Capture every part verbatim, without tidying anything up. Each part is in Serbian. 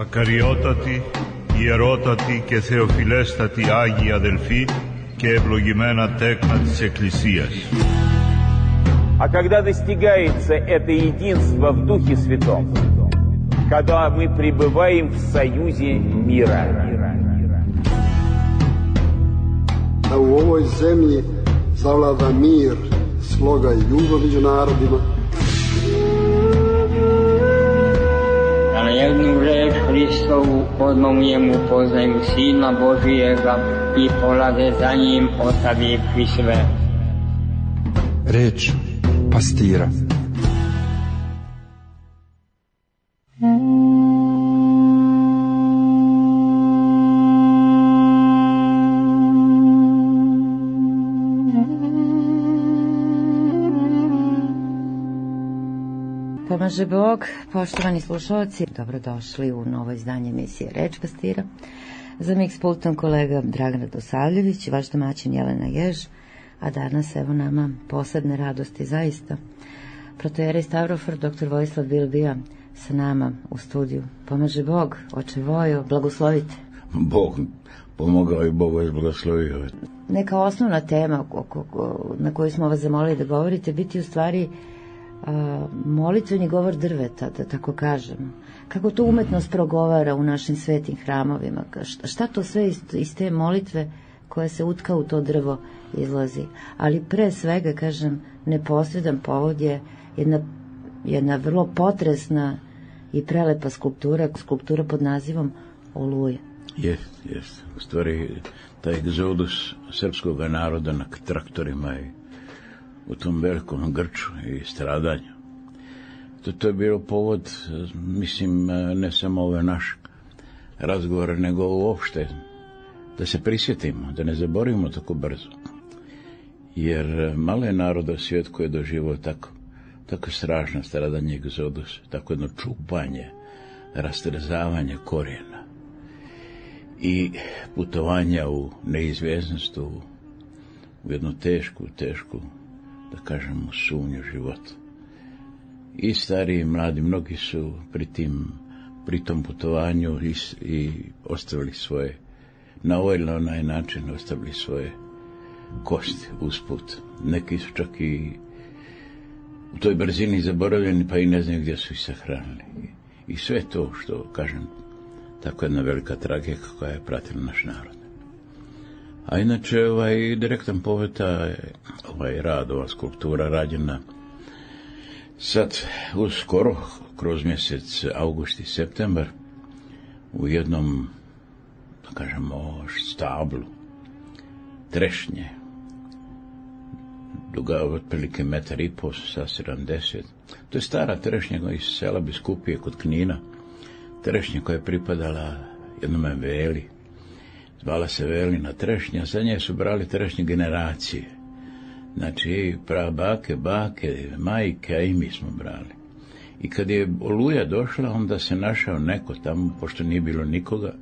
Ακαριότατοι, ιερότατοι και θεοφιλέστατοι Άγιοι αδελφοί και ευλογημένα τέκνα της Εκκλησίας. А когда достигается это единство в Духе Святом, когда мы пребываем в союзе мира. Da u ovoj zemlji zavlada mir, sloga i ljubav među narodima. Da na jednu reč Hristovu odmah u njemu poznaju Sina Božijega i polade za njim ostavivši sve. Reč pastira. Pomaže Bog, poštovani slušalci, dobrodošli u novo izdanje emisije Reč pastira. Za mix pultom kolega Dragan Radosavljević, vaš domaćin Jelena Jež, a danas evo nama posebne radosti zaista. Protojerej Stavrofor, doktor Vojislav Bilbija sa nama u studiju. Pomaže Bog, oče Vojo, blagoslovite. Bog pomogao i Bog vas blagoslovio. Neka osnovna tema na koju smo vas zamolili da govorite biti u stvari a, molitveni govor drveta, da tako kažem. Kako to umetnost progovara u našim svetim hramovima, šta, šta to sve iz, iz te molitve koja se utka u to drvo izlazi. Ali pre svega, kažem, neposredan povod je jedna, jedna vrlo potresna i prelepa skulptura, skulptura pod nazivom Oluja. Jest, jest. U stvari, taj egzodus srpskog naroda na traktorima i u tom velikom grču i stradanju. To, to je bilo povod, mislim, ne samo ove naše razgovore, nego uopšte da se prisjetimo, da ne zaboravimo tako brzo. Jer malo je naroda svijet koji je doživao tako, tako strašno stradanje egzodus, tako jedno čupanje, rastrzavanje korijena i putovanja u neizvjesnost, u, u jednu tešku, tešku, da kažemo, sumnju života. I stari i mladi, mnogi su pri, tim, pri tom putovanju i, i ostavili svoje, na ovaj ili onaj način ostavili svoje kosti usput. Neki su čak i u toj brzini zaboravljeni, pa i ne znaju gdje su ih sahranili. I sve to što, kažem, tako jedna velika tragedija koja je pratila naš narod. A inače, ovaj direktan poveta, ovaj rad, ova skulptura rađena sad uskoro, kroz mjesec august i septembar, u jednom, da kažemo, stablu trešnje, duga otprilike metar i pol sa sedamdeset. To je stara trešnja iz sela Biskupije kod Knina, trešnja koja je pripadala jednome veli, zvala se Velina trešnja, za nje su brali trešnje generacije. Znači, prabake, bake, majke, a i mi smo brali. I kad je Oluja došla, onda se našao neko tamo, pošto nije bilo nikoga,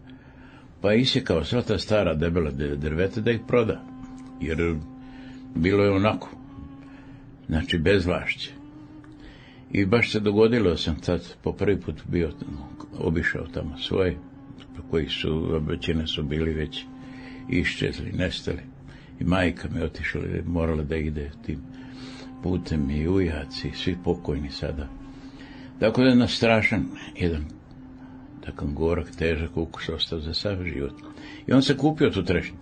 pa je isjekao sva ta stara debela drveta da ih proda. Jer bilo je onako, znači bezvlašće. I baš se dogodilo, sam tad po prvi put bio, obišao tamo svoje, koji su, većina su bili već iščezli, nestali. I majka mi otišla, morala da ide tim putem, i ujaci, svi pokojni sada. Tako da je na strašan, jedan takav gorak, težak ukus ostao za sav život. I on se kupio tu trešnju.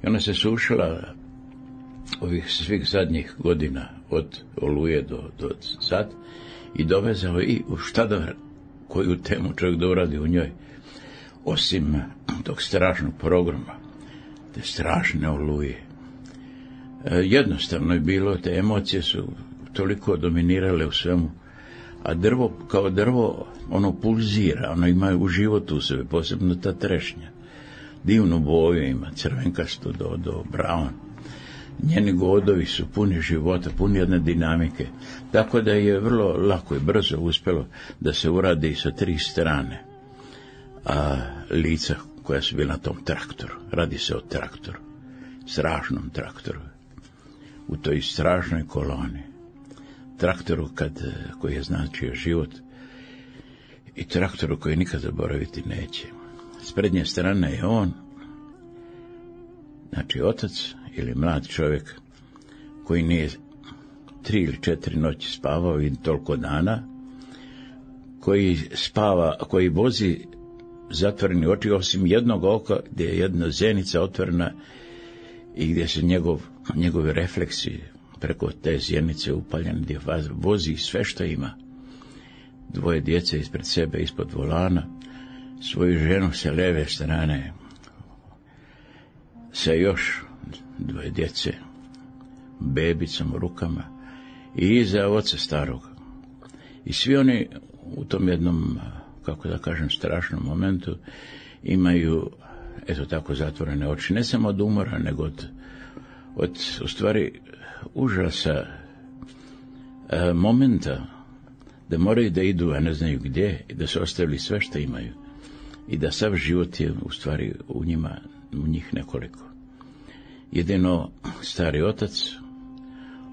I ona se sušila ovih svih zadnjih godina, od Oluje do, do sad, i dovezao i u šta da, koju temu čovjek da uradi u njoj, osim tog strašnog programa, te strašne Oluje. E, jednostavno je bilo, te emocije su toliko dominirale u svemu, a drvo, kao drvo, ono pulzira, ono ima u životu u sebe, posebno ta trešnja. Divnu boju ima, crvenkasto do, do brown. Njeni godovi su puni života, puni jedne dinamike, tako da je vrlo lako i brzo uspjelo da se uradi sa tri strane a, lica koja su bila na tom traktoru. Radi se o traktoru, strašnom traktoru, u toj strašnoj koloni. Traktoru kad, koji je značio život. i traktoru koji nikad zaboraviti neće. S prednje strane je on, znači otac ili mlad čovjek koji nije tri ili četiri noći spavao i toliko dana, koji spava, koji vozi zatvoreni oči, osim jednog oka gdje je jedna zenica otvorena i gdje se njegov, njegovi refleksi preko te zjenice upaljene, gdje vozi sve što ima. Dvoje djece ispred sebe, ispod volana, svoju ženu sa lijeve strane, sa još dvoje djece, bebicom u rukama i iza oca starog. I svi oni u tom jednom, kako da kažem, strašnom momentu imaju, eto tako, zatvorene oči, ne samo od umora, nego od, od u stvari, užasa e, momenta da moraju da idu, a ne znaju gdje, i da su ostavili sve što imaju i da sav život je u stvari u njima, u njih nekoliko. Jedino stari otac,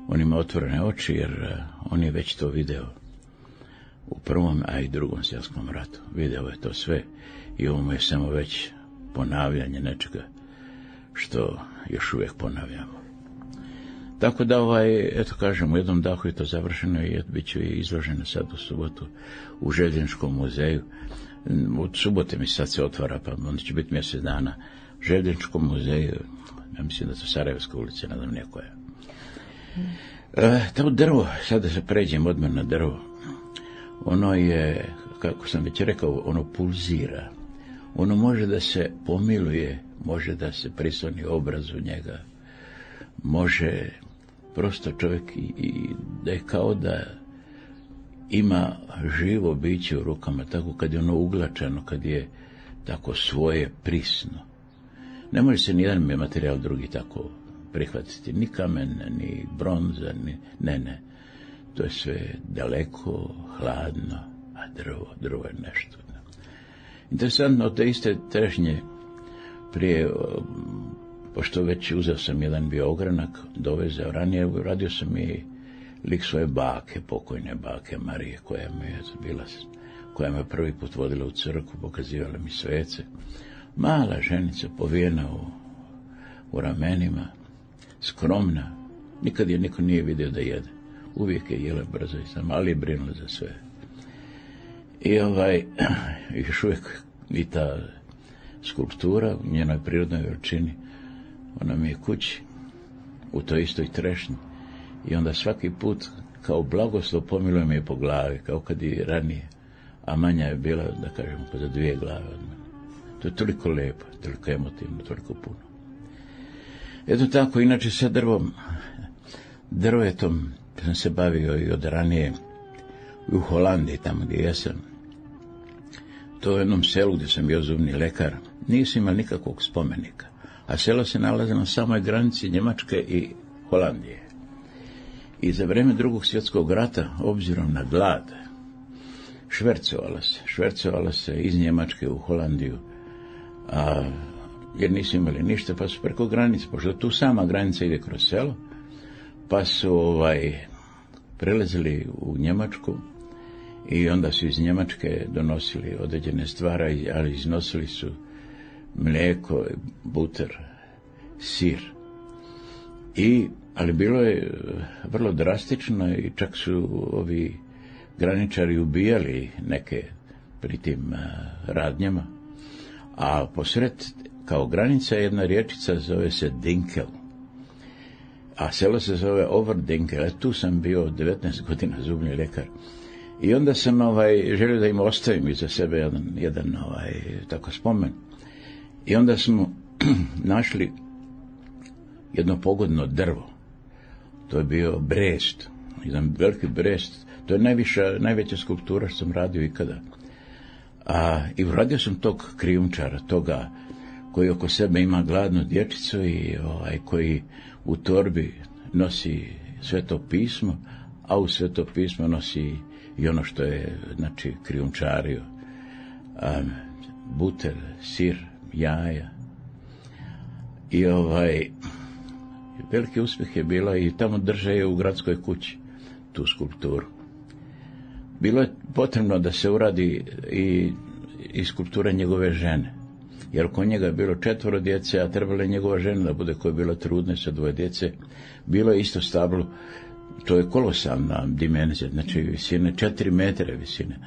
on ima otvorene oči jer uh, on je već to video u prvom, a i drugom svjetskom ratu. Video je to sve i ovo mu je samo već ponavljanje nečega što još uvijek ponavljamo. Tako da, ovaj, eto kažem, u jednom dahu je to završeno i bit ću i izloženo sad u subotu u Željezničkom muzeju. Od subote mi sad se otvara, pa onda će biti mjesec dana. U Željezničkom muzeju, ja mislim da to Sarajevska ulica, ne znam nije koja. E, to drvo, sad da se pređem odmah na drvo, ono je, kako sam već rekao, ono pulzira. Ono može da se pomiluje, može da se prisloni obraz u njega, može prosto čovjek i, i da je kao da ima živo biće u rukama, tako kad je ono uglačano, kad je tako svoje prisno. Ne može se nijedan materijal drugi tako prihvatiti, ni kamen, ni bronza, ni, ne, ne. To je sve daleko, hladno, a drvo, drvo je nešto. Interesantno, te iste trešnje prije, pošto već uzeo sam jedan bio ogranak, dovezao ranije, radio sam i lik svoje bake, pokojne bake Marije, koja me je bila, koja me prvi put vodila u crkvu, pokazivala mi svece. Mala ženica, povijena u, u ramenima, skromna, nikad je niko nije vidio da jede. Uvijek je jela brzo i sam, ali je brinula za sve. I ovaj, još uvijek i ta skulptura u njenoj prirodnoj veličini, ona mi je kući, u toj istoj trešnji. I onda svaki put, kao blagoslov, pomiluje me po glavi, kao kad i ranije. A manja je bila, da kažem, za dvije glave od mene. To je toliko lijepo, toliko emotivno, toliko puno. Eto tako, inače sa drvom, drvetom sam se bavio i od ranije u Holandiji, tamo gdje jesam. To je u jednom selu gdje sam bio zubni lekar. Nisam imao nikakvog spomenika. A selo se nalazi na samoj granici Njemačke i Holandije. I za vrijeme drugog svjetskog rata, obzirom na glad, švercovala se, švercovala se iz Njemačke u Holandiju, a, jer nisu imali ništa, pa su preko granice, pošto tu sama granica ide kroz selo, pa su ovaj, prelazili u Njemačku i onda su iz Njemačke donosili određene stvari, ali iznosili su mlijeko, buter, sir. I, ali bilo je vrlo drastično i čak su ovi graničari ubijali neke pri tim radnjama. A posred, kao granica, jedna riječica zove se Dinkel. A selo se zove Overdinkel. Tu sam bio devetnaest godina zubni lekar. I onda sam ovaj, želio da im ostavim iza sebe jedan, jedan ovaj, tako spomen. I onda smo našli jedno pogodno drvo. To je bio brest, jedan veliki brest. To je najviša, najveća skulptura što sam radio ikada. A, i uradio sam tog krijumčara, toga koji oko sebe ima gladnu dječicu i ovaj, koji u torbi nosi Sveto pismo, a u Sveto pismo nosi i ono što je, znači, krijumčario. A, buter, sir, jaja. I ovaj, veliki uspjeh je bilo i tamo drže je u gradskoj kući tu skulpturu. bilo je potrebno da se uradi i, i skulptura njegove žene. Jer oko njega je bilo četvoro djece, a trebala je njegova žena da bude, koja je bila trudna sa dvoje djece. Bilo je isto stablo, to je kolosalna dimenzija, znači visine, četiri metre visine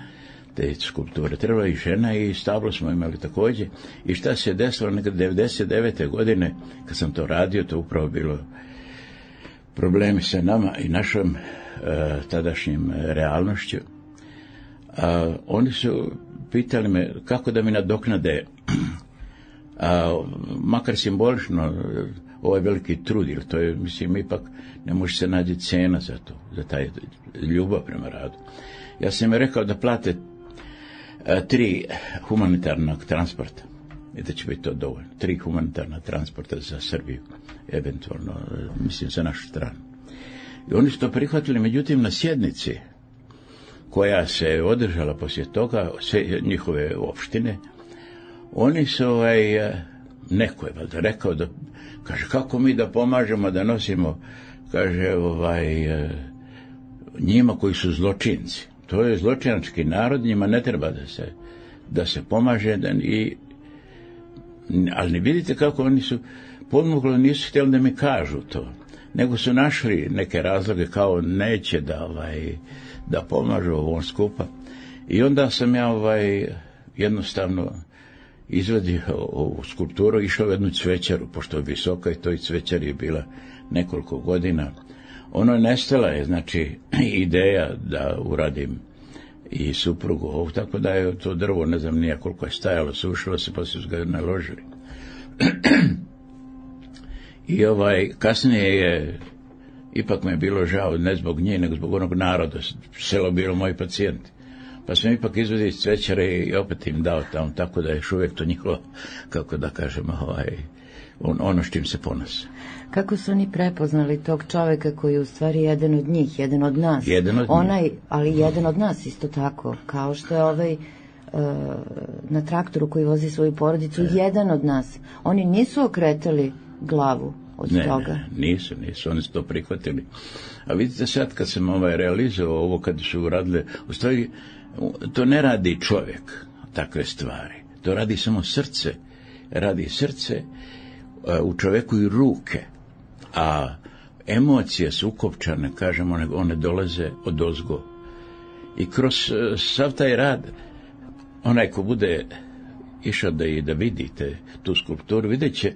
te skulpture. Trebala je i žena i stablo smo imali također. I šta se je desilo nekad devedeset devete godine, kad sam to radio, to upravo bilo problemi sa nama i našom e, tadašnjim realnošću. A, oni su pitali me kako da mi nadoknade, a, makar simbolično, ovaj veliki trud, jer to je, mislim, ipak ne može se naći cena za to, za taj ljubav prema radu. Ja sam im rekao da plate a, tri humanitarnog transporta, i da će biti to dovoljno. Tri humanitarna transporta za Srbiju, eventualno, mislim, za našu stranu. I oni su to prihvatili, međutim, na sjednici koja se održala poslije toga, sve njihove opštine, oni su, ovaj, neko je valjda rekao da, kaže, kako mi da pomažemo, da nosimo, kaže, ovaj, njima koji su zločinci. To je zločinački narod, njima ne treba da se, da se pomaže, da, i, ali ne vidite kako oni su podmuklo, nisu htjeli da mi kažu to, nego su našli neke razloge kao neće da, ovaj, da pomažu ovom skupa. I onda sam ja, ovaj, jednostavno izvadio ovu skulpturu, išao u jednu cvećaru, pošto je visoka i toj cvećari je bila nekoliko godina. Ono je nestala je, znači, ideja da uradim i suprugu ovu, tako da je to drvo, ne znam nije koliko je stajalo, sušilo se, pa su ga naložili. I ovaj, kasnije je, ipak me je bilo žao, ne zbog nje, nego zbog onog naroda, selo bilo moji pacijenti. Pa sam ipak izvadio iz cvećare i opet im dao tamo, tako da je još uvijek to njihovo, kako da kažem, ovaj, on, ono s čim se ponose. Kako su oni prepoznali tog čoveka koji je u stvari jedan od njih, jedan od nas? Jedan od Onaj, njih. ali jedan od nas isto tako, kao što je ovaj uh, na traktoru koji vozi svoju porodicu, ne. Jedan od nas. Oni nisu okretali glavu od ne, toga. Ne, nisu, nisu, oni su to prihvatili. A vidite sad kad sam ovaj realizovao ovo, kad su uradile, u stvari, to ne radi čovjek, takve stvari. To radi samo srce. Radi srce, u čovjeku i ruke. A emocije su ukopčane, kažemo, one dolaze odozgo. I kroz sav taj rad, onaj ko bude išao da i da vidite tu skulpturu, vidjet će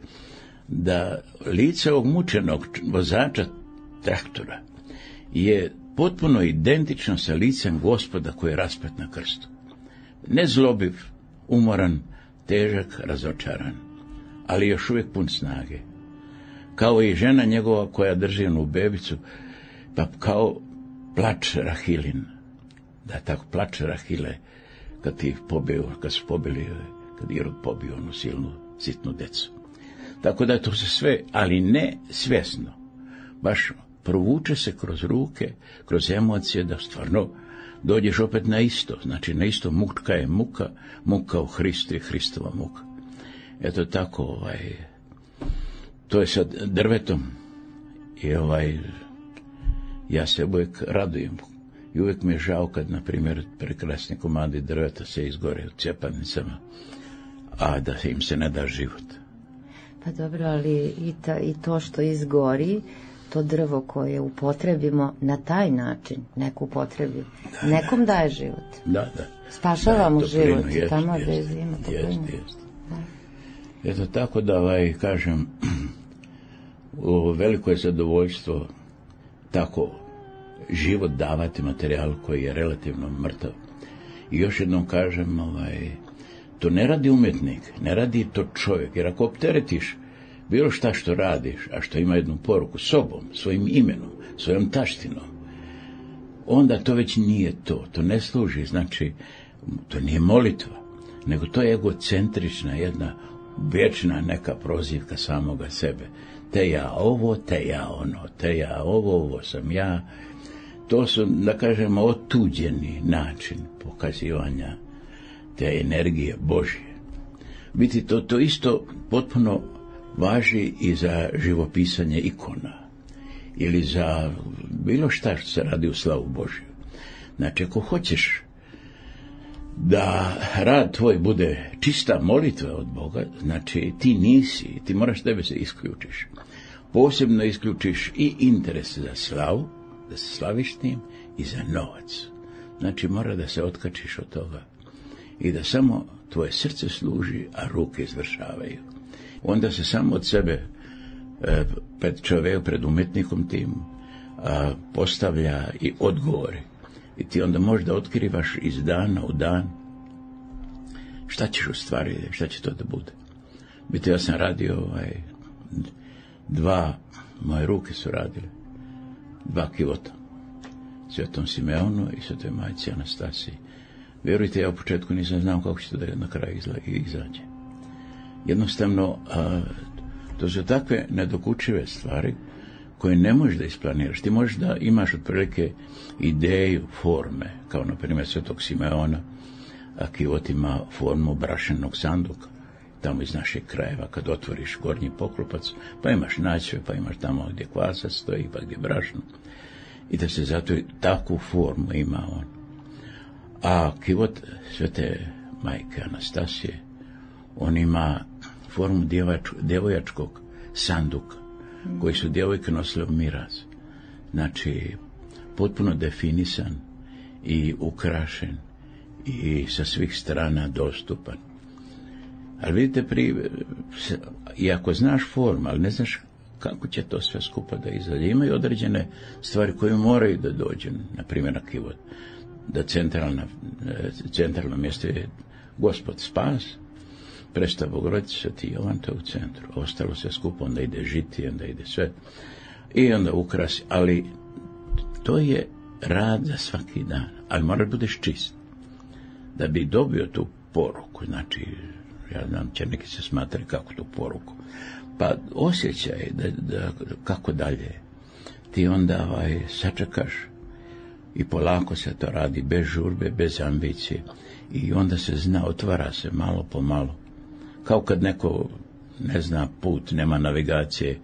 da lice ovog mučenog vozača traktora je potpuno identično sa licem Gospoda koji je raspet na krstu. Nezlobiv, umoran, težak, razočaran, ali još uvijek pun snage. Kao i žena njegova koja drži onu bebicu, pa kao plač Rahilin. Da, tako, plač Rahile, kad ti pobio, kad su pobili, kad Irod pobio onu silnu, sitnu decu. Tako da je to se sve, ali ne svjesno, baš provuče se kroz ruke, kroz emocije, da stvarno dođeš opet na isto, znači na isto, muka je muka, muka u Hristu je Hristova muka. Eto tako, ovaj, to je sad drvetom i ovaj, ja se uvijek radujem i uvijek mi je žao kad, na primjer, prekrasni komadi drveta se izgore u cjepanicama, a da im se ne da život. Pa dobro, ali i, ta, i to što izgori, to drvo koje upotrebimo na taj način, neku upotrebi, da, nekom daje život. Da, da. Spašava mu život, jest, tamo jest, da je zima toplinu. Eto tako da, ovaj, kažem, u veliko je zadovoljstvo tako život davati materijalu koji je relativno mrtav. I još jednom kažem, ovaj, to ne radi umjetnik, ne radi to čovjek, jer ako opteretiš bilo šta što radiš, a što ima jednu poruku sobom, svojim imenom, svojom taštinom, onda to već nije to, to ne služi, znači, to nije molitva, nego to je egocentrična jedna vječna neka prozivka samoga sebe. Te ja ovo, te ja ono, te ja ovo, ovo sam ja. To su, da kažemo, otuđeni način pokazivanja te energije Božje. Biti to, to isto potpuno važi i za živopisanje ikona ili za bilo šta što se radi u slavu Božju. Znači, ako hoćeš da rad tvoj bude čista molitva od Boga, znači ti nisi, ti moraš tebe se isključiš. Posebno isključiš i interes za slavu, da se slaviš tim, i za novac. Znači, mora da se otkačiš od toga i da samo tvoje srce služi, a ruke izvršavaju. Onda se samo od sebe e, pred čovjekom, pred umetnikom tim a, postavlja i odgovori. I ti onda možda otkrivaš iz dana u dan šta ćeš u stvari, šta će to da bude. Biti, ja sam radio ovaj, dva, moje ruke su radile, dva kivota. Svetom Simeonu i Svetoj majci Anastasiji. Vjerujte, ja u početku nisam znao kako će to da na kraju izađe. Jednostavno, a, to su takve nedokučive stvari koje ne možeš da isplaniraš. Ti možeš da imaš otprilike ideju, forme, kao na primjer Svetog Simeona, a kivot ima formu brašenog sanduka, tamo iz naših krajeva, kad otvoriš gornji poklopac, pa imaš naćve, pa imaš tamo gdje kvasac stoji, pa gdje brašno. I da se zato takvu formu ima on. A kivot Svete majke Anastasije, on ima formu djevač, djevojačkog sanduka, koji su djevojke nosile u miraz. Znači, potpuno definisan i ukrašen i sa svih strana dostupan. Ali vidite, pri, i ako znaš formu, ali ne znaš kako će to sve skupa da izađe. Imaju određene stvari koje moraju da dođu, na primjer na kivot, da centralna, centralno mjesto je Gospod Spas, Presta Bogorodica, Sveti Jovan, to je u centru. Ostalo sve skupa, onda ide žitije, onda ide sve. I onda ukrasi, ali to je rad za svaki dan, ali moraš budeš čist. Da bi dobio tu poruku, znači, ja znam, će neki se smatrati kako tu poruku, pa osjećaj da, da, kako dalje. Ti onda ovaj, sačekaš i polako se to radi, bez žurbe, bez ambicije. I onda se zna, otvara se malo po malo. Kao kad neko ne zna put, nema navigacije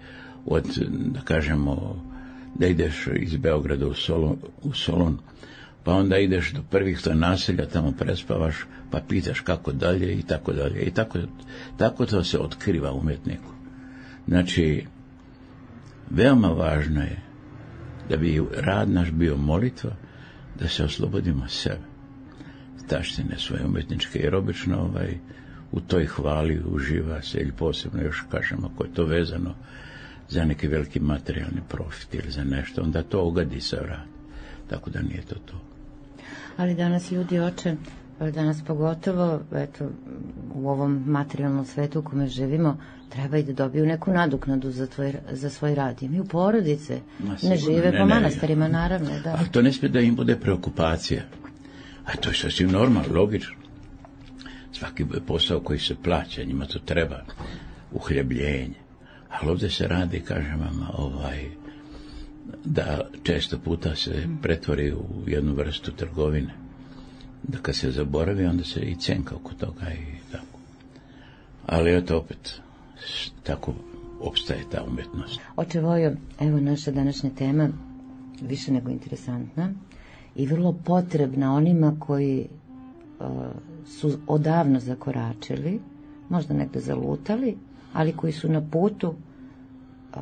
od, da kažemo, da ideš iz Beograda u Solon, u Solon, pa onda ideš do prvih to naselja, tamo prespavaš, pa pitaš kako dalje i tako dalje. I tako, tako to se otkriva umjetniku. Znači, veoma važno je da bi rad naš bio molitva, da se oslobodimo sebe, taštine svoje umjetničke, jer obično ovaj, u toj hvali uživa se, ili posebno još kažemo, ako je to vezano za neki veliki materijalni profit ili za nešto, onda to ogadi se rad. Tako da nije to to. Ali danas ljudi, oče, danas pogotovo, eto, u ovom materijalnom svetu u kome živimo, treba i da dobiju neku nadoknadu za, tvoj, za svoj rad. Imaju porodice, Ma, ne žive ne, po manastirima, naravno. Da. Ali to ne smije da im bude preokupacija. A to je sasvim normalno, logično. Svaki posao koji se plaća, njima to treba, uhljebljenje. Ali ovdje se radi, kažem vam, ovaj, da često puta se pretvori u jednu vrstu trgovine. Da kad se zaboravi, onda se i cenka oko toga i tako. Ali eto opet, tako opstaje ta umjetnost. Oče Vojo, evo naša današnja tema, više nego interesantna i vrlo potrebna onima koji uh, su odavno zakoračili, možda negdje zalutali, ali koji su na putu uh,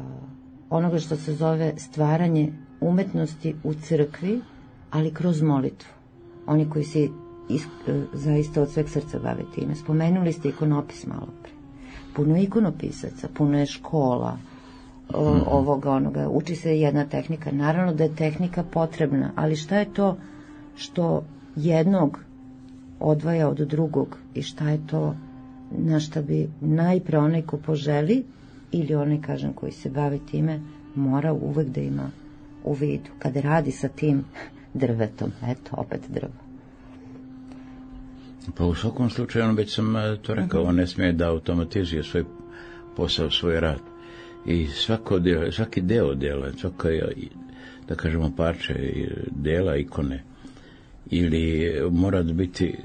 onoga što se zove stvaranje umetnosti u crkvi, ali kroz molitvu. Oni koji se is, zaista od sveg srca bave time. Spomenuli ste ikonopis malo pre. Puno je ikonopisaca, puno je škola, o, ovoga, onoga. Uči se jedna tehnika. Naravno da je tehnika potrebna, ali šta je to što jednog odvaja od drugog i šta je to na šta bi najpre onaj ko poželi ili onaj, kažem, koji se bavi time, mora uvek da ima u vidu. Kada radi sa tim drvetom, eto, opet drvo. Pa u svakom slučaju, već sam to rekao, on ne smije da automatizuje svoj posao, svoj rad. I svako deo, svaki deo dela, svaka, da kažemo, parče dela, ikone, ili mora biti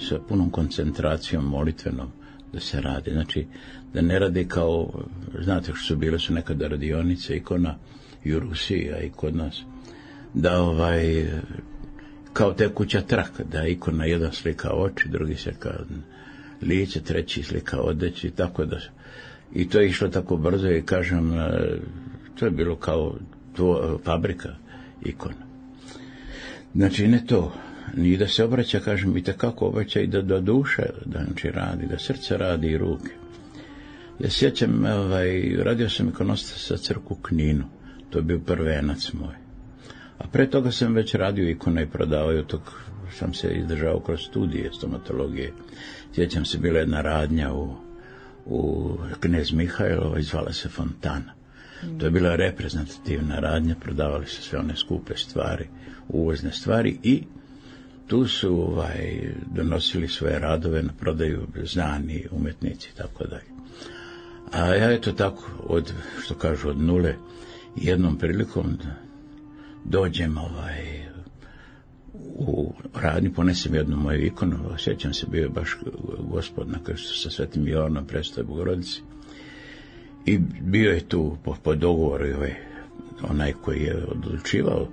sa punom koncentracijom molitvenom da se radi. Znači, da ne radi kao, znate što su bile su nekada radionice ikona i u Rusiji, a i kod nas, da ovaj, kao tekuća traka, da ikona jedan slika oči, drugi slika lice, treći slika odeći, tako da, i to je išlo tako brzo i kažem, to je bilo kao tvo, fabrika ikona. Znači ne to, ni da se obraća, kažem, i tekako obraća i da do duše, da znači radi, da srce radi i ruke. Ja sjećam, ovaj, radio sam ikonostas sa crku u Kninu, to je bio prvenac moj. A pre toga sam već radio ikone i prodao, i od tog sam se izdržao kroz studije stomatologije. Sjećam se, bila jedna radnja u, u Knez Mihajlova, zvala se Fontana. Mm. To je bila reprezentativna radnja, prodavali se sve one skupe stvari, uvozne stvari, i tu su ovaj, donosili svoje radove na prodaju znani umetnici i tako dalje. A ja eto tako, od, što kažu, od nule, jednom prilikom dođem ovaj, u radnju, ponesem jednu moju ikonu, sjećam se, bio je baš Gospod na krstu sa Svetim Jovanom, predstav Bogorodici, i bio je tu po, po dogovoru ovaj, onaj koji je odlučivao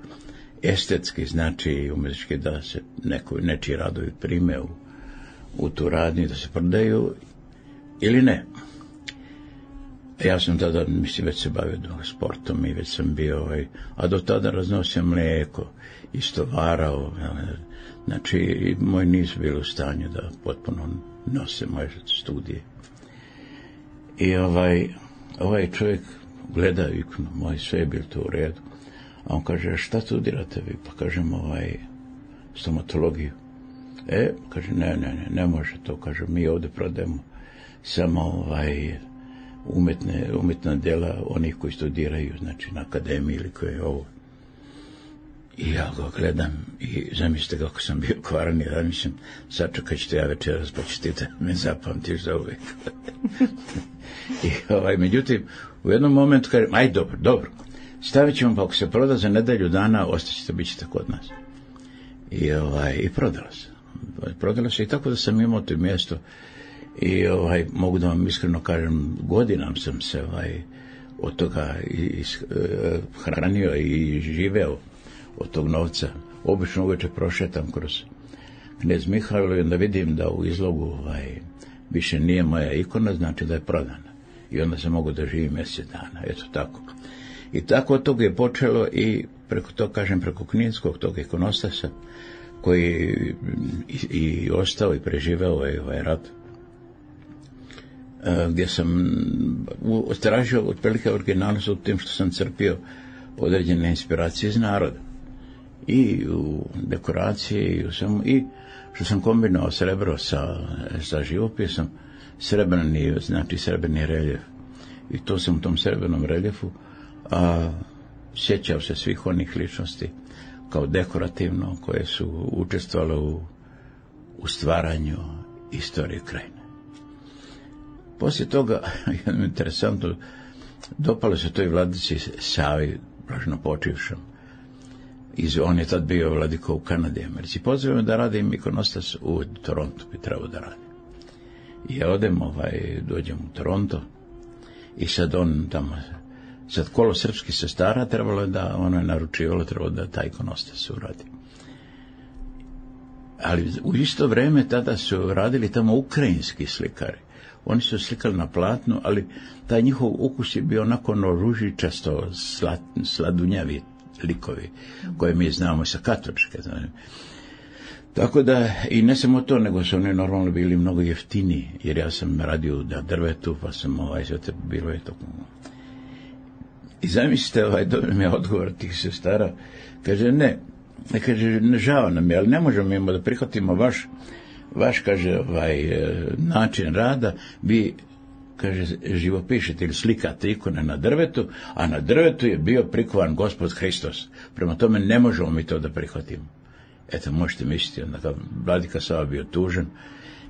estetski, znači umetički, da se neko, nečiji radovi prime u, u tu radnju, da se prodaju ili ne. Ja sam tada, mislim, već se bavio sportom i već sam bio, ovaj, a do tada raznosio mlijeko, istovarao, znači moji nisu bili u stanju da potpuno nose moje studije. I ovaj, ovaj čovjek gleda ikonu, moj, sve je bilo to u redu, a on kaže, šta studirate vi? Pa kažem, ovaj, stomatologiju. E, kaže, ne, ne, ne, ne može to, kaže, mi ovdje prodajemo samo ovaj, umetne, umetna djela onih koji studiraju, znači na akademiji ili koje je ovo. I ja ga gledam i zamislite kako sam bio kvaran, i ja mislim, sačekat ćete ja večeras, pa ćete da me zapamtiš za uvijek. I ovaj, međutim, u jednom momentu kažem, aj dobro, dobro, stavit ćemo, pa ako se proda za nedelju dana, ostaćete, bit ćete kod nas. I, ovaj, i prodala se. Prodala se i tako da sam imao to mjesto. I ovaj, mogu da vam iskreno kažem, godinam sam se ovaj, od toga is, eh, hranio i živeo od tog novca. Obično uveče prošetam kroz Knez Mihajlo i onda vidim da u izlogu ovaj, više nije moja ikona, znači da je prodana. I onda se mogu da živim mjesec dana, eto tako. I tako od toga je počelo i preko to, kažem, preko Kninskog tog ikonostasa, koji i, i ostao i preživeo ovaj, ovaj rat, gdje sam tražio otprilike originalnost u tim što sam crpio određene inspiracije iz naroda. I u dekoraciji, i u svemu, i što sam kombinovao srebro sa, sa živopisom, srebrni, znači srebrni reljef. I to sam u tom srebrnom reljefu a, sjećao se svih onih ličnosti kao dekorativno, koje su učestvovale u, u stvaranju istorije krajine. Poslije toga, interesantno, dopalo se to i vladici Savi, blaženo počivšom. Iz, on je tad bio vladiko u Kanadi i Americi. Pozivamo da radim ikonostas u Torontu, bi trebao da radim. I ja odem, ovaj, dođem u Toronto i sad on tamo, sad kolo srpskih sestara trebalo je da, ono je naručivalo, trebalo da taj ikonostas uradi. Ali u isto vrijeme tada su radili tamo ukrajinski slikari. Oni su slikali na platnu, ali taj njihov ukus je bio onako ono ružičasto, slad, sladunjavi likovi, koje mi znamo sa katoličke. Znači. Tako da, i ne samo to, nego su oni normalno bili mnogo jeftiniji, jer ja sam radio na drvetu, pa sam ovaj, sve te bilo je to. I zamislite, ovaj, dobro mi je odgovor tih sestara, kaže, ne, ne kaže, ne žao nam je, ali ne možemo imamo da prihvatimo vaš, vaš, kaže, ovaj, način rada, vi, kaže, živopišete ili slikate ikone na drvetu, a na drvetu je bio prikovan Gospod Hristos. Prema tome ne možemo mi to da prihvatimo. Eto, možete misliti, onda vladika Sava bio tužan,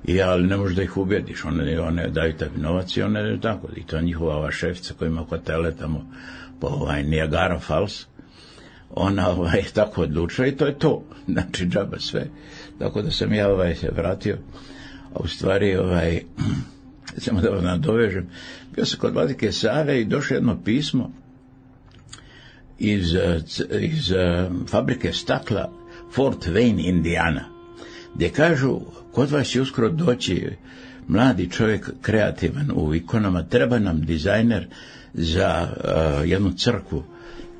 i ja, ali ne možeš da ih ubijediš, one, one daju taj novac i one tako, i to njihova ova šefica koja ima hotele tamo po ovaj, Niagara Falls, ona ovaj, tako odlučila i to je to, znači džaba sve. Tako da sam ja ovaj, se vratio, a u stvari, ovaj, samo da vam nadovežem, bio sam kod vladike Save i došlo jedno pismo iz, iz fabrike stakla Fort Wayne, Indiana, gdje kažu, kod vas će uskoro doći mladi čovjek kreativan u ikonama, treba nam dizajner za uh, jednu crkvu,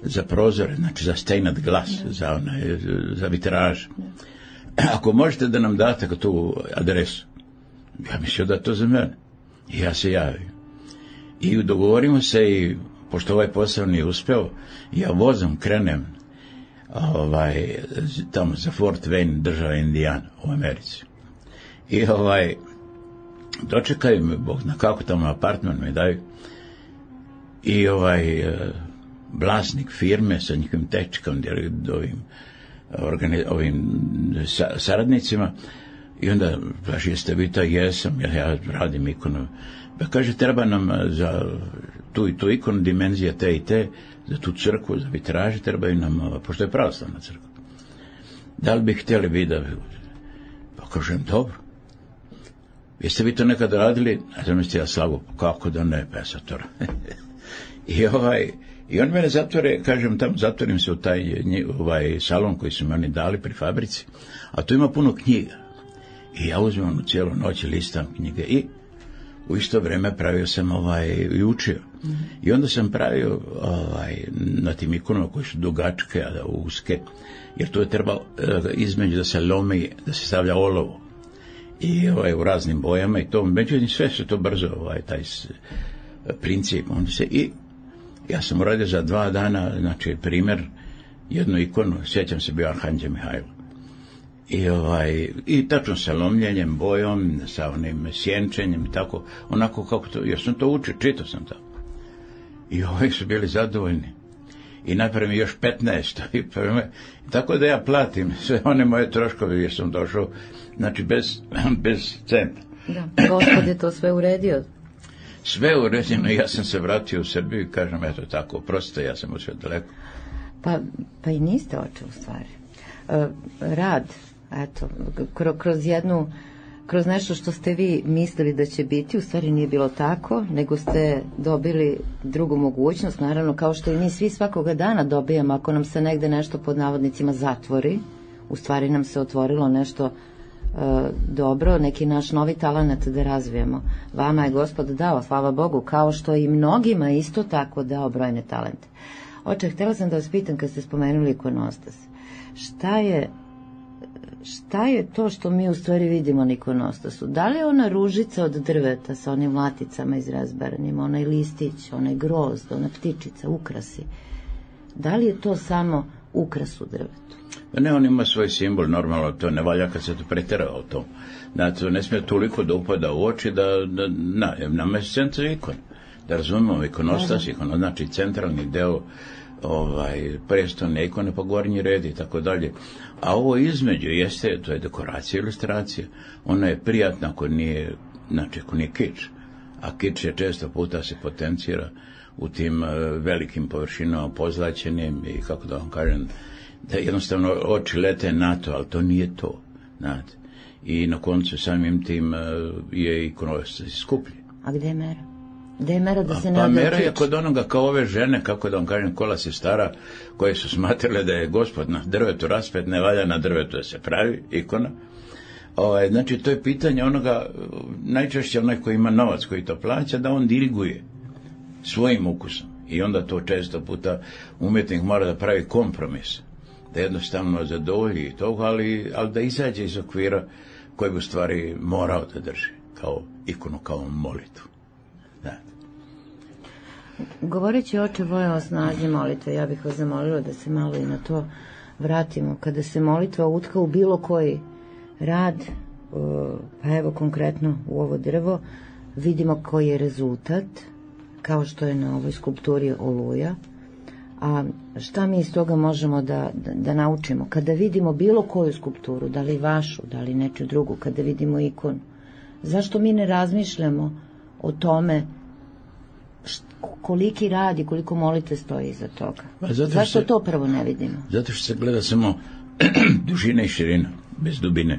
za prozore, znači za stained glass, za, onaj, za vitraž. Ako možete da nam date tu adresu, ja mislio da je to za mene. I ja se javim. I dogovorimo se i, pošto ovaj posao nije uspeo, ja vozom krenem ovaj, tamo za Fort Wayne, država Indijana, u Americi. I ovaj, dočekaju me, Bog zna kako, tamo apartman me daju. I ovaj, vlasnik firme sa njihovim tehničkom, ovim, organi, ovim sa, saradnicima, i onda kaže, jeste vi to? Jesam, ja, ja radim ikonu. Pa kaže, treba nam za tu i tu ikonu, dimenzija te i te, za tu crkvu, za vitraže, trebaju nam, pošto je pravoslavna crkva. Da li bi htjeli vi da... Pa kažem, dobro. Jeste vi to nekad radili? A znam ste ja slagu, kako da ne, pa ja sad to I ovaj... I on mene zatvore, kažem, tamo zatvorim se u taj ovaj salon koji su mi oni dali pri fabrici, a tu ima puno knjiga. I ja uzmem onu cijelu noć i listam knjige i u isto vrijeme pravio sam ovaj i učio. Mm-hmm. I onda sam pravio ovaj na tim ikonama koji su dugačke, a uske, jer tu je trebalo između da se lomi, da se stavlja olovo. I ovaj u raznim bojama i to, međutim sve se to brzo, ovaj taj princip, on se i ja sam uradio za dva dana, znači, primjer, jednu ikonu, sjećam se bio Arhanđel Mihajlo. I, ovaj, i tačno sa lomljenjem, bojom, sa onim sjenčenjem i tako, onako kako to, jer sam to učio, čitao sam to. I ovaj su bili zadovoljni. I napravim još petnaest. I, i tako da ja platim sve one moje troškove, jer sam došao, znači, bez, bez centa. Da, Gospod je to sve uredio. Sve uređeno, ja sam se vratio u Srbiju i kažem, eto tako, oprostite, ja sam otišao daleko. Pa, pa i niste oče u stvari. E, rad, eto, kroz, kroz jednu, kroz nešto što ste vi mislili da će biti, u stvari nije bilo tako, nego ste dobili drugu mogućnost, naravno, kao što i mi svi svakoga dana dobijamo, ako nam se negde nešto pod navodnicima zatvori, u stvari nam se otvorilo nešto dobro, neki naš novi talenat da razvijemo. Vama je Gospod dao, hvala Bogu, kao što i mnogima isto tako dao brojne talente. Oče, htjela sam da vas pitam kad ste spomenuli ikonostas. Šta je šta je to što mi u stvari vidimo na ikonostasu? Da li je ona ružica od drveta sa onim laticama izrazbaranim, onaj listić, onaj grozd, ona ptičica, ukrasi? Da li je to samo ukras u drvetu? Ne, on ima svoj simbol, normalno, to ne valja kad se to pretjera o tom. Znači, to ne smije toliko da upada u oči da, da na, nama je centar ikon. Da razumemo ikonostas, ikon, znači centralni deo ovaj, prestolne ikone, pa gornji red i tako dalje. A ovo između jeste, to je dekoracija, ilustracija. Ona je prijatna ako nije, znači ako nije kič. A kič je često puta se potencira u tim uh, velikim površinama pozlaćenim i kako da vam kažem, da jednostavno oči lete na to, ali to nije to, znate. I na koncu samim tim uh, je ikonostas skuplji. A gdje je mera? Gdje je mera da se ne pa odle mera je kič? kod onoga kao ove žene, kako da vam kažem, kola se stara, koje su smatrale da je Gospod na drvetu raspet, ne valja na drvetu da se pravi ikona. O, znači, to je pitanje onoga, najčešće onaj koji ima novac, koji to plaća, da on diriguje svojim ukusom. I onda to često puta umjetnik mora da pravi kompromis, da jednostavno zadovolji toga, ali, ali da izađe iz okvira koji bi u stvari morao da drži, kao ikonu, kao molitvu. Da. Govoreći oče Voja o snazi molitve, ja bih vas zamolila da se malo i na to vratimo. Kada se molitva utka u bilo koji rad, pa evo konkretno u ovo drvo, vidimo koji je rezultat, kao što je na ovoj skulpturi Oluja. A šta mi iz toga možemo da, da, da naučimo? Kada vidimo bilo koju skulpturu, da li vašu, da li neču drugu, kada vidimo ikonu, zašto mi ne razmišljamo o tome št, koliki rad i koliko molitve stoji iza toga? Zato zašto se, to prvo ne vidimo? Zato što se gleda samo dužina i širina, bez dubine.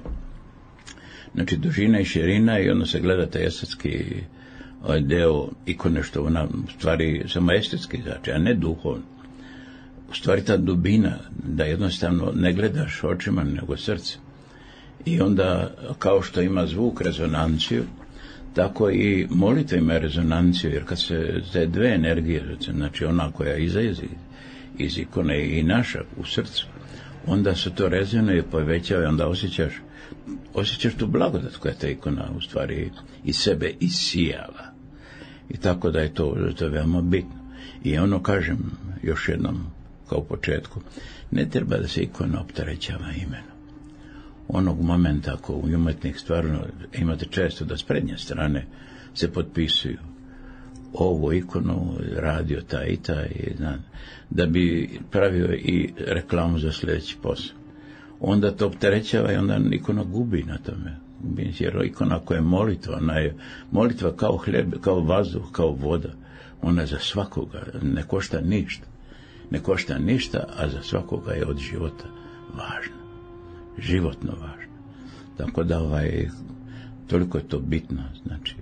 Znači dužina i širina i onda se gleda taj estetski deo ikone, što ona u stvari samo estetski znači, a ne duhovno. u stvari ta dubina, da jednostavno ne gledaš očima nego srce. I onda, kao što ima zvuk rezonanciju, tako i molitva ima rezonanciju, jer kad se te dve energije, znači ona koja izlazi iz ikone i naša u srcu, onda se to rezonuje, povećava i onda osjećaš, osjećaš tu blagodat koja ta ikona u stvari iz sebe isijava. I tako da je to, to je veoma bitno. I ono, kažem još jednom, kao u početku, ne treba da se ikona opterećava imenom. Onog momenta ako u umetnik stvarno imate često da s prednje strane se potpisuju ovu ikonu radio taj i taj, da bi pravio i reklamu za sljedeći posao. Onda to opterećava i onda ikona gubi na tome. Jer ikona koja je molitva, ona je molitva kao hljeb, kao vazduh, kao voda. Ona je za svakoga, ne košta ništa. Ne košta ništa, a za svakoga je od života važna. Životno važno. Tako da ovaj, toliko je to bitno, znači,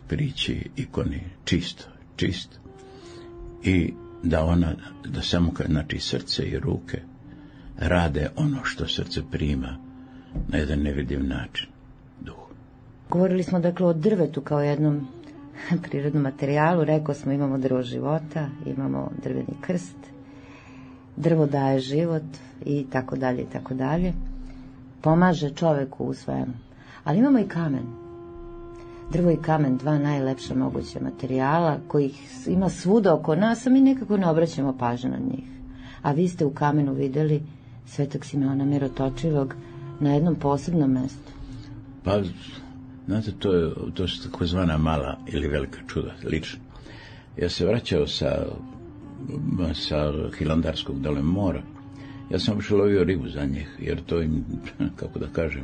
prići ikoni čisto, čisto. I da ona, da samo, znači, srce i ruke rade ono što srce prima na jedan nevidljiv način, duhu. Govorili smo, dakle, o drvetu kao jednom prirodnom materijalu, rekao smo imamo drvo života, imamo drveni krst, drvo daje život i tako dalje i tako dalje. Pomaže čoveku u svemu. Ali imamo i kamen. Drvo i kamen, dva najlepša moguća materijala kojih ima svuda oko nas, a mi nekako ne obraćamo pažnju na njih. A vi ste u kamenu videli Svetog Simeona Mirotočivog na jednom posebnom mjestu. Pa, znate, to, je, to su takozvana mala ili velika čuda, lično. Ja se vraćao sa, sa Hilandarskog dole mora. Ja sam uopšte lovio ribu za njih, jer to im, kako da kažem,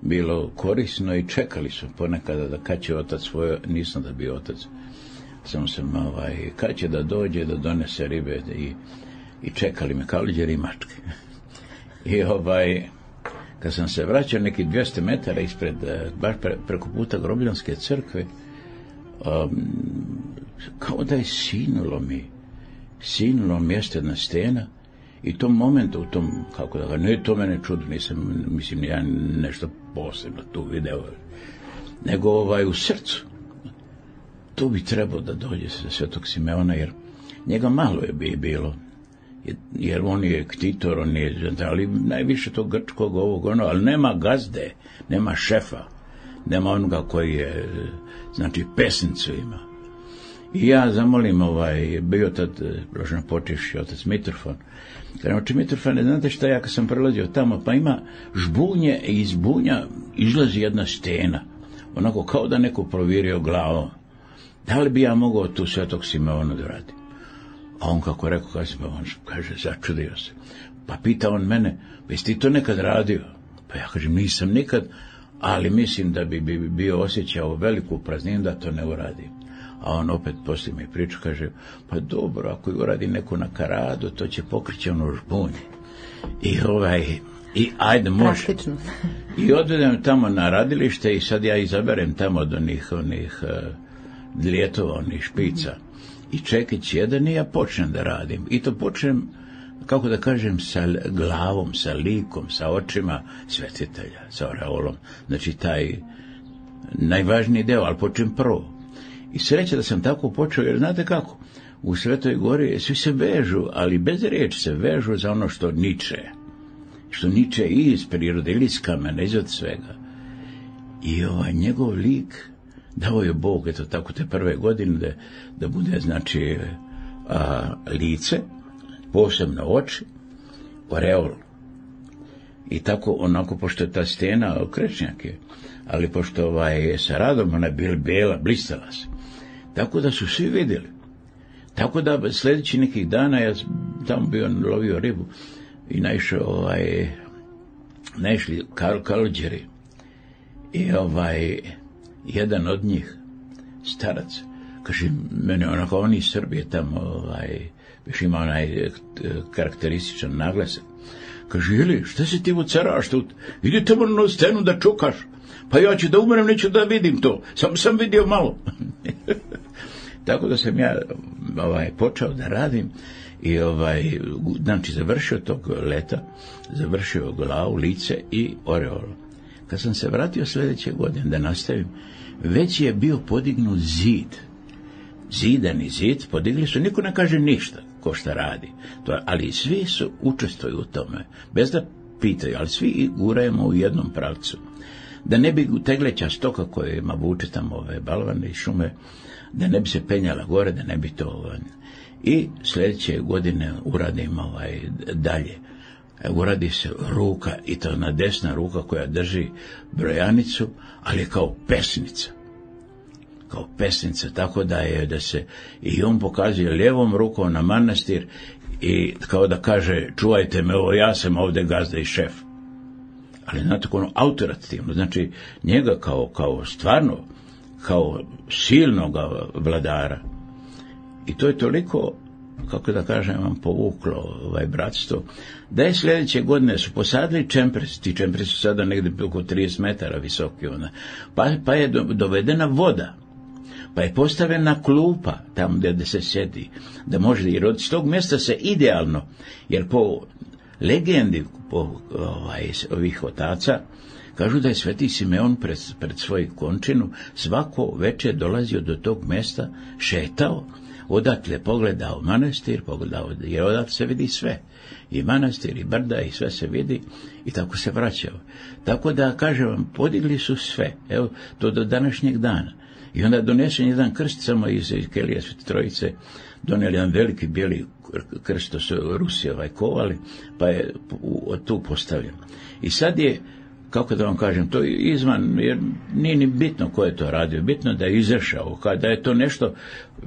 bilo korisno i čekali su ponekada da kad će otac svoje, nisam da bio otac, sam sam, ovaj, kad će da dođe da donese ribe i, i čekali me kao liđeri i mačke. I ovaj, kad sam se vraćao neki dvjesto metara ispred, baš pre, preko puta Grobljanske crkve, um, kao da je sinulo mi, sinulo mjesto jedna stena. I u tom momentu, u tom, kako da ga, ne, to mene čudo, nisam, mislim, ja nešto posebno tu video, nego ovaj, u srcu, tu bi trebao da dođe sa Svetog Simeona, jer njega malo je bi bilo, jer on je ktitor, on je, ali najviše tog grčkog ovog, ono, ali nema gazde, nema šefa, nema onoga koji je, znači, pesnicu ima. I ja zamolim, ovaj, bio tad, blaženo počivši, otac Mitrofon. Kažem, oče Mitrofone, znate šta, ja kad sam prelazio tamo, pa ima žbunje i iz bunja izlazi jedna stena, onako kao da neko provirio glavom. Da li bi ja mogao tu Svetog Simeona da radim? A on kako rekao, kaže, on kaže, začudio se. Pa pita on mene, pa jesi ti to nekad radio? Pa ja kažem, nisam nikad, ali mislim da bi, bi bio osjećao veliku prazninu da to ne uradim. A on opet poslije mi priču, kaže, pa dobro, ako uradi neku na karadu, to će pokrići ono žbunje. I ovaj, i ajde, može. Praktično. I odvedem tamo na radilište i sad ja izaberem tamo od onih, onih uh, dljetova, onih špica. I čekić jedan i ja počnem da radim. I to počnem, kako da kažem, sa glavom, sa likom, sa očima svetitelja, sa oreolom. Znači, taj najvažniji deo, ali počnem prvo. I sreća da sam tako počeo, jer znate kako, u Svetoj Gori svi se vežu, ali bez riječi se vežu za ono što niče. Što niče i iz prirode, ili iz kamena, iz od svega. I ovaj njegov lik dao je Bog, eto tako te prve godine, da, da bude, znači, a, lice, posebno oči, oreol. I tako, onako, pošto je ta stena krečnjak je, ali pošto ovaj, sa radom ona je bila bela, blistala se. Tako da su svi vidjeli. Tako da sljedeći nekih dana ja tamo bio lovio ribu i naišao ovaj, naišli kal, kalđeri. I ovaj, jedan od njih, starac, kaže, mene onako, oni iz Srbije tamo, ovaj, više ima onaj karakterističan naglasak. Kaže, jeli, šta si ti vucaraš tu? Idi tamo na stenu da čukaš. Pa ja ću da umrem, neću da vidim to. Samo sam vidio malo. Tako da sam ja ovaj, počeo da radim I ovaj, znači završio tog leta, završio glavu, lice i oreolu. Kad sam se vratio sljedeće godine da nastavim, već je bio podignut zid. Zidani zid podigli su, niko ne kaže ništa ko šta radi. To, ali svi su učestvuju u tome, bez da pitaju, ali svi gurajemo u jednom pravcu. Da ne bi tegleća stoka kojima vuče tamo ove balvane i šume, da ne bi se penjala gore, da ne bi to... Ovaj, i sljedeće godine uradim ovaj, dalje. Uradi se ruka, i to na desna ruka koja drži brojanicu, ali kao pesnica. Kao pesnica, tako da je da se i on pokazuje lijevom rukom na manastir i kao da kaže, čuvajte me, ovo ja sam ovdje gazda i šef. Ali znate, ono autoritativno, znači njega kao, kao stvarno, kao silnog vladara. I to je toliko, kako da kažem, vam povuklo ovaj bratstvo, da je sljedeće godine su posadili čempresi, ti čempresi su sada negdje oko trideset metara visoki, ona, pa, pa je do, dovedena voda, pa je postavljena klupa tamo gdje se sjedi, da može, jer od tog mjesta se idealno, jer po legendi po ovaj, ovih otaca, kažu da je sveti Simeon pred, pred svoju končinu svako večer dolazio do tog mjesta, šetao, odatle pogledao manastir, pogledao, jer odatle se vidi sve. I manastir, i brda, i sve se vidi, i tako se vraćao. Tako da, kažem vam, podigli su sve, evo, to do današnjeg dana. I onda donesen jedan krst samo iz kelije Svete Trojice, donijeli jedan veliki bijeli krst, to su Rusi ovaj kovali, pa je tu postavljen. I sad je, kako da vam kažem, to je izvan, jer nije ni bitno ko je to radio, bitno da je izašao, kada je to nešto,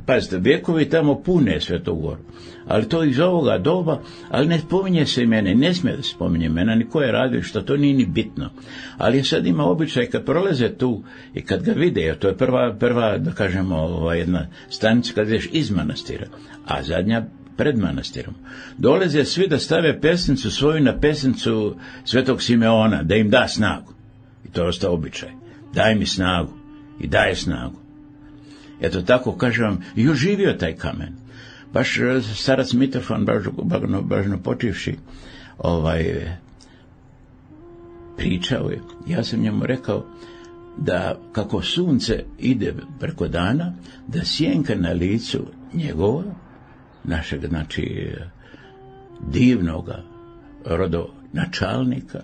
pazite, vjekovi tamo pune Svetu Goru, ali to iz ovoga doba, ali ne spominje se imene, ne smije da se spominje imena, ni ko je radio, što to nije ni bitno. Ali sad ima običaj, kad prolaze tu i kad ga vide, to je prva, prva da kažemo, ova jedna stanica kad ideš iz manastira, a zadnja pred manastirom. Dolaze svi da stave pesnicu svoju na pesnicu Svetog Simeona, da im da snagu. I to je ostao običaj. Daj mi snagu. I daje snagu. Eto tako, kažem vam, i oživio taj kamen. Baš starac Mitrofan, bažno, bažno počivši, ovaj, pričao je. Ja sam njemu rekao da kako sunce ide preko dana, da sjenka na licu njegova, našeg, znači, divnoga rodonačalnika,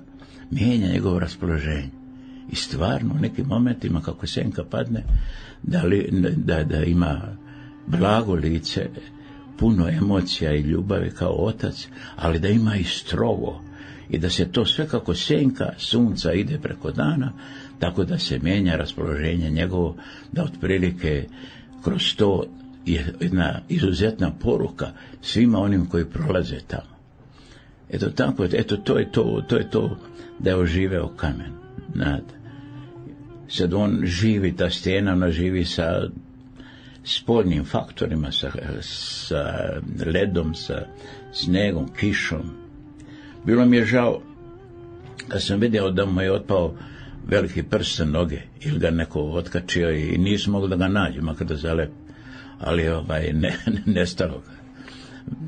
mijenja njegovo raspoloženje. I stvarno, u nekim momentima, kako senka padne, da, li, da, da ima blago lice, puno emocija i ljubavi kao otac, ali da ima i strogo. I da se to sve kako senka sunca ide preko dana, tako da se mijenja raspoloženje njegovo, da otprilike kroz to je jedna izuzetna poruka svima onim koji prolaze tamo. Eto tako, eto to je to, to je to da je oživeo kamen. Znate. Sad on živi, ta stijena, ona živi sa spoljnim faktorima, sa, sa ledom, sa snegom, kišom. Bilo mi je žao kad sam vidio da mu je otpao veliki prst sa noge, ili ga neko otkačio i nisam mogao da ga nađem, makar da zalep. Ali ovaj, ne, ne, nestalo ga.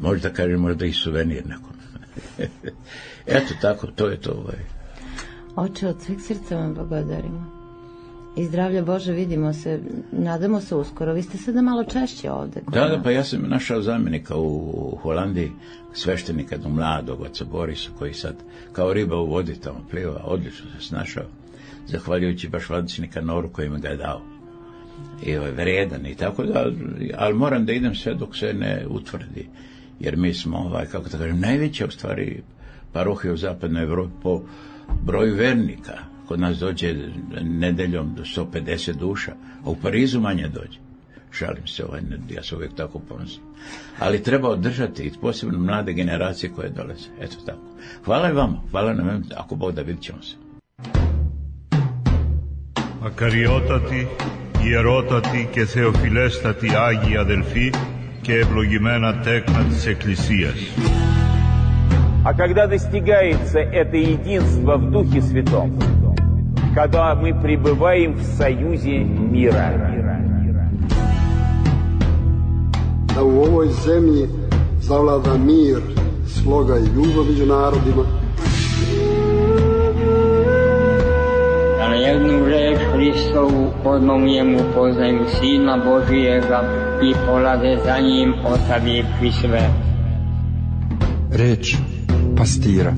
Možda kažem, možda i suvenir nekom. Eto tako, to je to. Ovaj. Oče, od sveg srca vam blagodarimo. I zdravlja Bože, vidimo se, nadamo se uskoro. Vi ste sada malo češće ovde. Da, da, pa ja sam našao zamjenika u Holandiji, sveštenika jednog mladog oca Borisa, koji sad kao riba u vodi tamo pliva, odlično se snašao, zahvaljujući baš vladici Nikanoru koji mi ga je dao. I ovaj, vredan i tako da, ali moram da idem sve dok se ne utvrdi, jer mi smo, ovaj, kako da kažem, najveća u stvari parohija u zapadnoj Evropi po broju vernika. Kod nas dođe nedeljom do sto pedeset duša, a u Parizu manje dođe. Šalim se, ovaj, ja se uvijek tako ponosim. Ali treba održati i posebno mlade generacije koje dolaze. Eto tako. Hvala i vama, hvala nam, ako Bog da, vidit ćemo se. Ακαριότατη, ιερότατη και θεοφιλέστατη Άγια Αδελφή και ευλογημένα τέκνα της Εκκλησίας. А когда достигается это единство в Духе Святом, когда мы пребываем в союзе мира. Da u ovoj zemlji zavlada mir, sloga i ljubav među narodima. Da na jednu reč Hristovu odmah u njemu poznaju Sina Božijega i polaze za njim od uvijek i sve. Reč pastira.